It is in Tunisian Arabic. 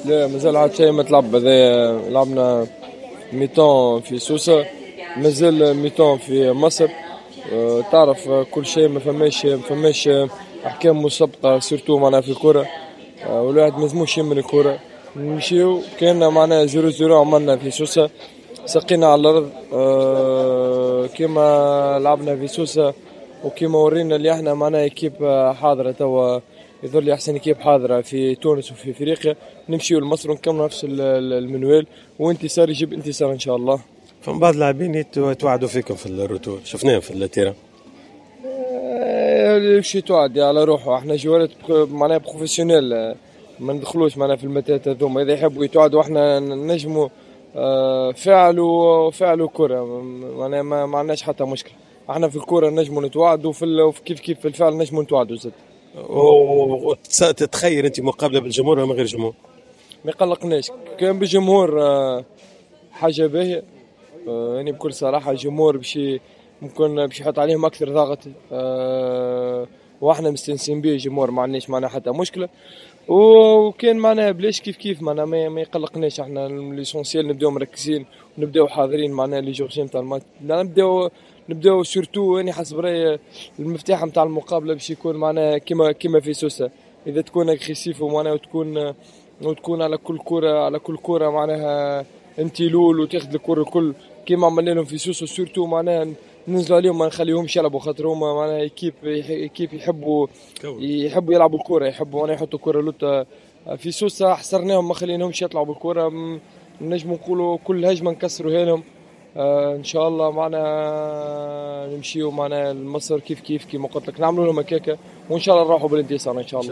لا، مازال عاد شيء ما تلعب. هذا لعبنا mi-temps في سوسه، مازال mi-temps في مصر. تعرف كل شيء ما فماش احكام مسبقه، surtout معناها في الكره، والواحد ما لازموش يمن الكره. نمشيو كان معناها 0-0 عملنا في سوسه، سقينا على الارض، كيما لعبنا في سوسة وكيما ورينا اللي احنا معناها équipe حاضره، توا يظهر لي احسن équipe حاضره في تونس وفي افريقيا. نمشيو لمصر ونكملوا نفس المنوال، وانتصار يجيب انتصار ان شاء الله. فما بعض اللاعبين يتوعدوا فيكم في ال retour، شفناهم في ال terrain. باش يتوعد على روحه. احنا joueur ات معناها professionnels، ما ندخلوش معناها في المتاهات هذوما. اذا يحبوا يتوعدوا، احنا نجموا فعل وفعل وكرة، معناها ما عندناش حتى مشكلة. احنا في الكرة نجموا نتوعدوا، وفي كيف كيف في الفعل نجموا نتوعدوا زاد. وتتخيل انت مقابله بالجمهور ولا من غير جمهور؟ ما يقلقناش. كان بالجمهور حاجة باهية. يعني بكل صراحة الجمهور باش ممكن باش يحط عليهم أكثر ضغط، واحنا مستانسين به الجمهور، ما عندناش معنا حتى مشكلة. وكان معناها بلاش كيف كيف، معناها ما يقلقناش. احنا l'essentiel نبداو مركزين ونبداو حاضرين معناها les jours نتاع الماتش. نبداو surtout، يعني حسب رايي المفتاح نتاع المقابلة باش يكون معناها كيما في سوسه، اذا تكون agressif ومعناها وتكون على كل كره معناها انت لول وتاخذ الكره الكل كيما عملنا لهم في سوسه. surtout معناها ننزلوا عليهم، ما نخليهمش يلعبوا، خاطر هما معناها équipe يحبوا يلعبوا الكره، يحبوا معناها يحطوا الكره لوطا. في سوسة حصرناهم، ما خليناهمش يطلعوا بالكره، نجموا نقولوا كل هجمة نكسروها لهم. ان شاء الله معنا نمشيو معنا لمصر كيف كيف، كيما قلت لك نعملوا لهم هكاكا، وان شاء الله نروحوا بالانتصار ان شاء الله.